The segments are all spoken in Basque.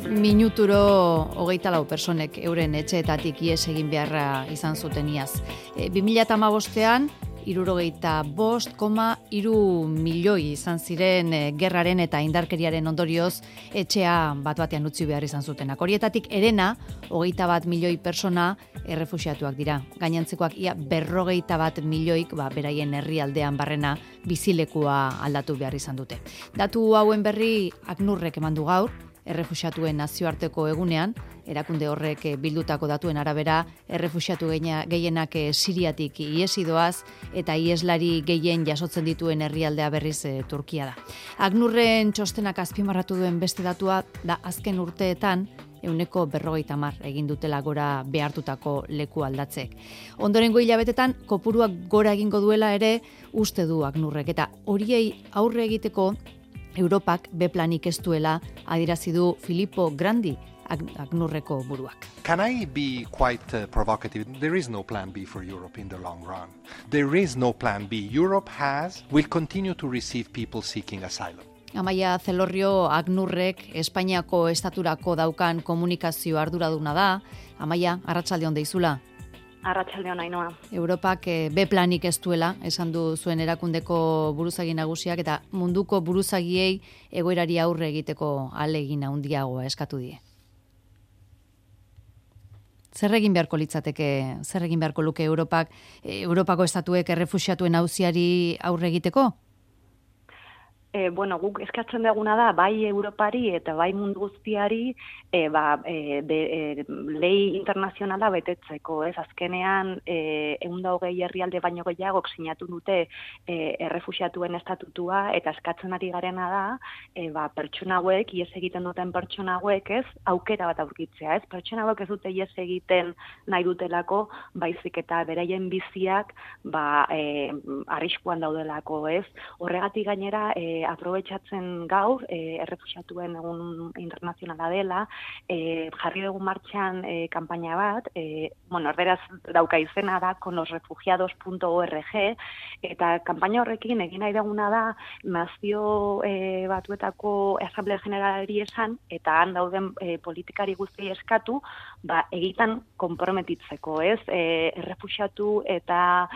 Minuturo 24 personek euren etxeetatik ihes egin beharra izan zuten iaz. 2015ean 65,3 milioi izan ziren gerraren eta indarkeriaren ondorioz etxea bat-batean utzi behar izan zutenak. Horietatik herena 21 milioi persona errefuxiatuak dira. Gainontzekoak ia 51 milioik beraien herrialdean barrena bizilekua aldatu behar izan dute. Datu hauen berri ACNURrek eman du gaur, errefuxiatuen nazioarteko egunean, erakunde horrek bildutako datuen arabera, errefuxiatu gehienak Siriatik ihesi doaz eta iheslari gehien jasotzen dituen herrialdea berriz Turkia da. ACNURren txostenak azpimarratu duen beste datua da azken urteetan 50% egin dutela gora behartutako leku aldatzek. Ondorengo hilabetetan kopuruak gora egingo duela ere uste du ACNURrek eta horiei aurre egiteko Europak B-planik ez duela adierazi du Filippo Grandi, ACNURreko buruak. Can I be quite provocative? There is no plan B for Europe in the long run. There is no plan B. Europe will continue to receive people seeking asylum. Amaia Zelorrio ACNURrek Espainiako estaturako daukan komunikazio arduraduna da. Amaia, arratsaldeon deizula. Arratsaldeon Ainoa. Europak B-planik ez duela, esan du zuen erakundeko buruzagi nagusiak eta munduko buruzagiei egoerari aurre egiteko ahalegin handiagoa eskatu die. Zer egin beharko litzateke, zer egin beharko luke Europako estatuek errefuxiatuen auziari aurre egiteko? Guk eskatzen duguna da, bai Europari eta bai mundu guztiari lei internazionala betetzeko. Azkenean, 120 herrialde baino gehiagok sinatu dute errefuxiatuen estatutua eta eskatzen ari garena da, pertsona hauek, ihes egiten duten pertsona hauek, aukera bat aurkitzea. Pertsona hauek ez dute ihes egiten nahi dutelako, baizik eta beraien biziak arriskuan daudelako. Horregatik gainera, aprobetxatzen gaur, errefuxiatuen egun internazionala dela, jarri dugu martxan kanpaina bat, erderaz dauka izena da, conlosrefugiados.org, eta kanpaina horrekin egin nahi duguna da, nazio batuetako Asamblea Generalari esan, eta han dauden politikari guztiei eskatu, egitan konprometitzeko, errefuxiatu eta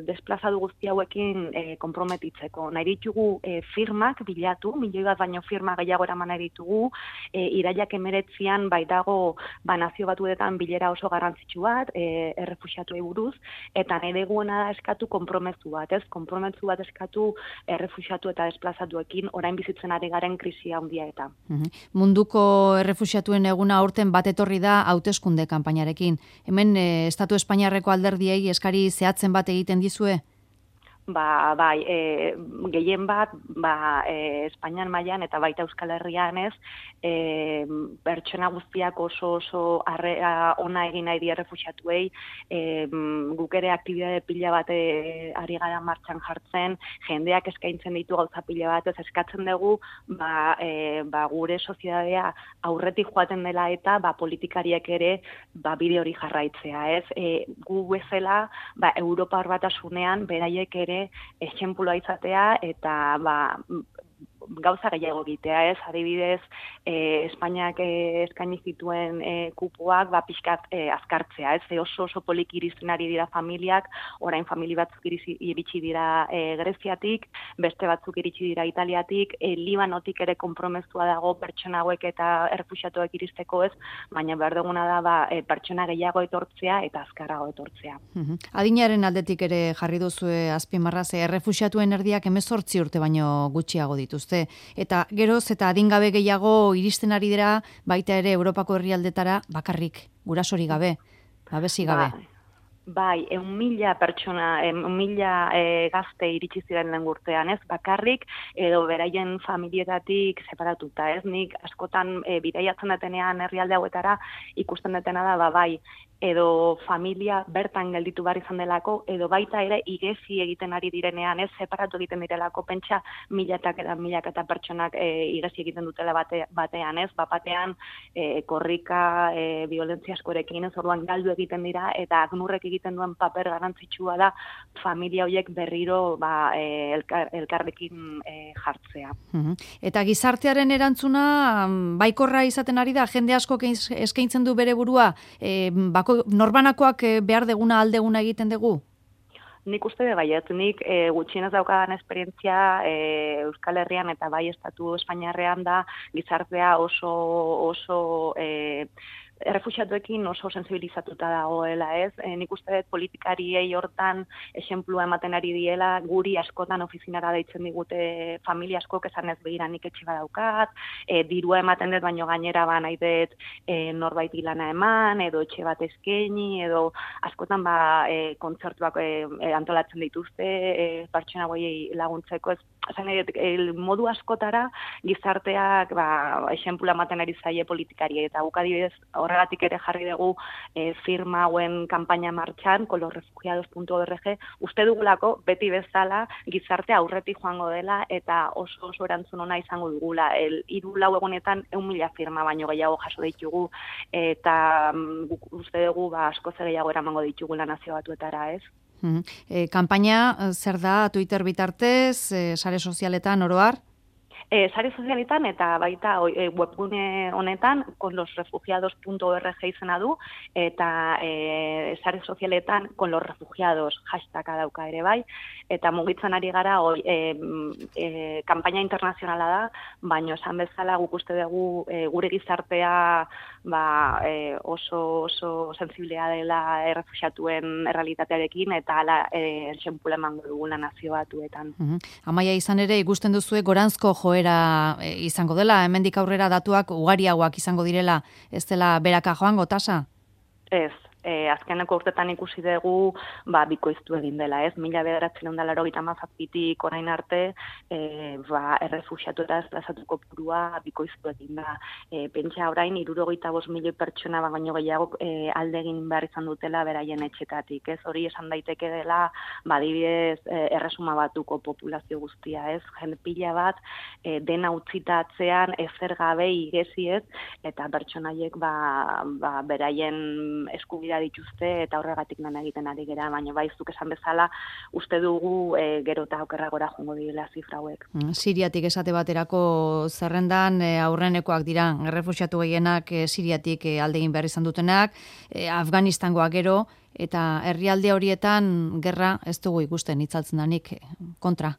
desplazadu guzti hauekin konprometitzeko. Nahi ditugu firmak bilatu, milioi bat baino firma gehiago eraman nahi ditugu, irailak 19 baitago nazio batuetan bilera oso garrantzitsu bat, errefuxiatuei buruz, eta nahi duguna da eskatu konpromezu bat, konpromezu bat eskatu errefuxiatu eta desplazatuekin orain bizitzen ari garen krisia handia eta. Munduko errefuxiatuen eguna aurten bat etorri da hauteskunde kanpainarekin. Hemen Estatu Espainiarreko alderdiei eskari zehatzen bat egiten dizue? Bai, gehien bat, Espainian mailan eta baita Euskal Herrian pertsona guztiak oso harrera ona egin nahi die errefuxiatuei, guk ere aktibitate pila bat ari gara martxan jartzen, jendeak eskaintzen ditu gauza pila bat, eskatzen dugu, gure soziedadea aurretik joaten dela eta politikariek ere bide hori jarraitzea, gu bezala, Europar Batasunean beraiek ere esenpulua izatea eta gauza gehiago egitea, adibidez, Espainiak eskaini zituen kupoak pixkat azkartzea, oso poliki iristen ari dira familiak, orain famili batzuk iritsi dira Greziatik, beste batzuk iritsi dira Italiatik, Libanotik ere konpromezua dago pertsona hauek eta errefuxiatuak iristeko baina behar duguna da pertsona gehiago etortzea eta azkarrago etortzea. Adinaren aldetik ere jarri duzue azpimarra, errefuxiatuen erdiak 18 urte baino gutxiago dituzte. Eta geroz eta adingabe gehiago iristen ari dira baita ere Europako herrialdetara bakarrik, gurasori gabe, babesi gabe. Bai, 1.000 pertsona, 1.000 gazte iritsi ziren lehen urtean, bakarrik, edo beraien familietatik separatuta, nik askotan bidaiatzen detenean herrialde hauetara ikusten detena da, bai, edo familia bertan gelditu behar izan delako, edo baita ere igezi egiten ari direnean, ez separatu egiten direlako, pentsa milak eta pertsonak igezi egiten dutela batean, ez? Batean korrika, violentzia askorekin, ez orduan galdu egiten dira, eta ACNURrek egiten duen paper garrantzitsua da familia horiek berriro elkarrekin jartzea. Eta gizartearen erantzuna baikorra izaten ari da, jende asko eskaintzen du bere burua, norbanakoak behar deguna aldeguna egiten dugu? Nik uste baiet, nik gutxienez daukadan esperientzia Euskal Herrian eta bai Estatu Espainiarrean da gizartea oso errefuxiatuekin oso sensibilizatuta dagoela, ez? Nik uste dut politikariei hortan esenplua ematen ari diela, guri askotan ofizinara deitzen digute familia askok esan ez begira nik etxe badaukat, dirua ematen dut baino gainera nahi dut norbait lana eman, edo etxe bat eskaini, edo askotan kontzertuak antolatzen dituzte, pertsona horiei laguntzeko, modu askotara gizarteak esenplua ematen ari zaie politikariei, eta guk adibidez horregatik ere jarri dugu firma hauen kanpaina martxan, colosrefugiados.org, uste dugulako beti bezala gizartea aurretik joango dela eta oso erantzun ona izango dugula. 3-4 egunetan 1.000 firma baino gehiago jaso ditugu eta uste dugu askoz gehiago eramango ditugula Nazio Batuetara, ez? Kanpaina zer da Twitter bitartez, sare sozialetan oro har? Sare sozialetan eta baita webgune honetan colosrefugiados.org izena du eta sare sozialetan colosrefugiados hashtaga dauka ere bai eta mugitzen ari gara kanpaina internazionala da, baino esan bezala guk uste dugu gure gizartea oso sensiblea dela errefuxiatuen errealitatearekin eta hala esenpula emango dugula Nazio Batuetan. Amaia, izan ere ikusten duzue goranzko joera izango dela, hemendik aurrera datuak ugariagoak izango direla, ez dela beraka joango tasa? Ez. Azkeneko urtetan ikusi dugu bikoiztu egin dela, ez? 1987tik orain arte errefuxiatu eta desplazatuko kopurua bikoiztu egin da. Pentsa orain 65 milioi pertsona baino gehiago alde egin behar izan dutela beraien etxetatik, ez? Hori esan daiteke dela adibidez erresuma batuko populazio guztia, ez? Jende pila bat dena utzita atzean ezer gabe igezi, ez? Eta pertsonaiek beraien eskubidea dituzte eta horregatik lan egiten ari gera, baina zuk esan bezala uste dugu gero eta okerragora joango direla zifra hauek. Siriatik esate baterako zerrendan aurrenekoak dira, errefuxiatu gehienak Siriatik alde egin behar izan dutenak, Afganistangoak gero, eta herrialde horietan gerra ez dugu ikusten itzaltzen danik kontra.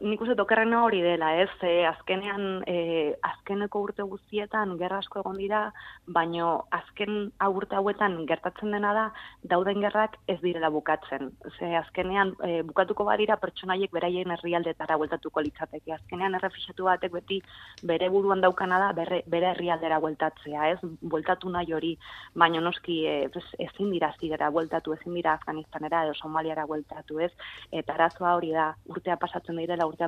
Nik uste okerrena hori dela, ez? Azkenean, azkeneko urte guztietan gerra asko egon dira, baino azken urte hauetan gertatzen dena da, dauden gerrak ez direla bukatzen. Azkenean, bukatuko badira pertsonaiek beraien herrialdetara bueltatuko litzateke. Azkenean, errefuxiatu batek beti bere buruan daukana da, bere herrialdera bueltatzea, ez? Bueltatu nahi hori, baino noski ezin dira Siriara bueltatu, ezin dira Afganistanera edo Somaliara bueltatu, ez? Eta arazoa hori da, urtea pasatzen direla eta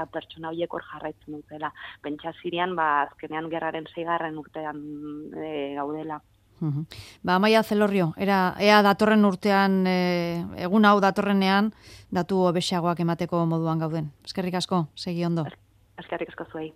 pertsona horiek hor jarraitzen dutela. Pentsa Sirian, azkenean gerraren 6. urtean gaudela. Amaia Zelorrio, ea datorren urtean, egun hau datorrenean, datu hobesagoak emateko moduan gauden. Eskerrik asko, segi ondo. Eskerrik asko zuei.